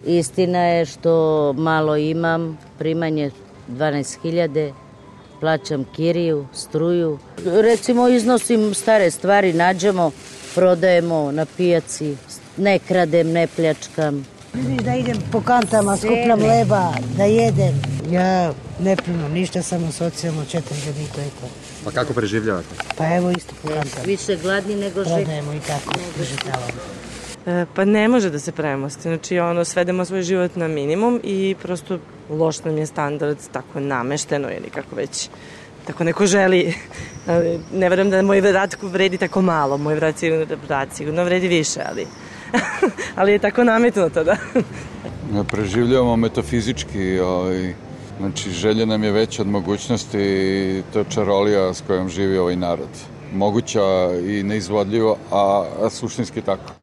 Istina je što malo imam, primanje 12.000, plaćam kiriju, struju. Recimo iznosim stare stvari, nađemo, prodajemo na pijaci, ne kradem, ne pljačkam. Da idem po kantama, skupljam leba, da jedem. Ja ne primam ništa, samo socijalno 4.000 i to je to. Pa kako preživljavate? Pa evo isto po kantama. Više gladni nego živi. Prodajemo i tako, preživljavamo. Pa ne može da se premosti, znači svedemo svoj život na minimum i prosto loš nam je standard tako namešteno ili kako već tako neko želi. Ne verujem da moj vrat vredi tako malo, moj vrat sigurno vredi više, ali je tako nametnuto da. Preživljavamo metafizički, znači želja nam je veća od mogućnosti i to je čarolija s kojom živi ovaj narod. Moguća i neizvodljiva, a suštinski tako.